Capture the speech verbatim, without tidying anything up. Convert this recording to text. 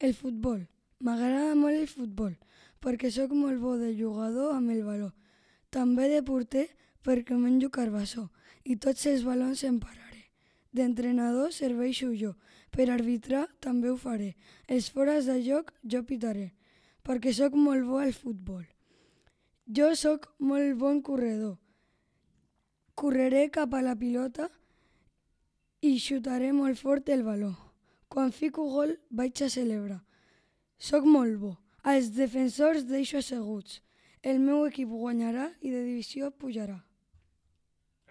El futbol. M'agrada molt el futbol, perquè sóc molt bo de jugador amb el baló. També de porter, perquè menjo carbassó i tots els balons em pararé. D'entrenador serveixo jo, per arbitrar també ho faré. Els fores de joc jo pitaré, perquè sóc molt bo al futbol. Jo sóc molt bon corredor. Correré cap a la pilota i xutaré molt fort el baló. Quan fico gol vaig a celebrar. Sóc molt bo. Els defensors deixo asseguts. El meu equip guanyarà i de divisió pujarà.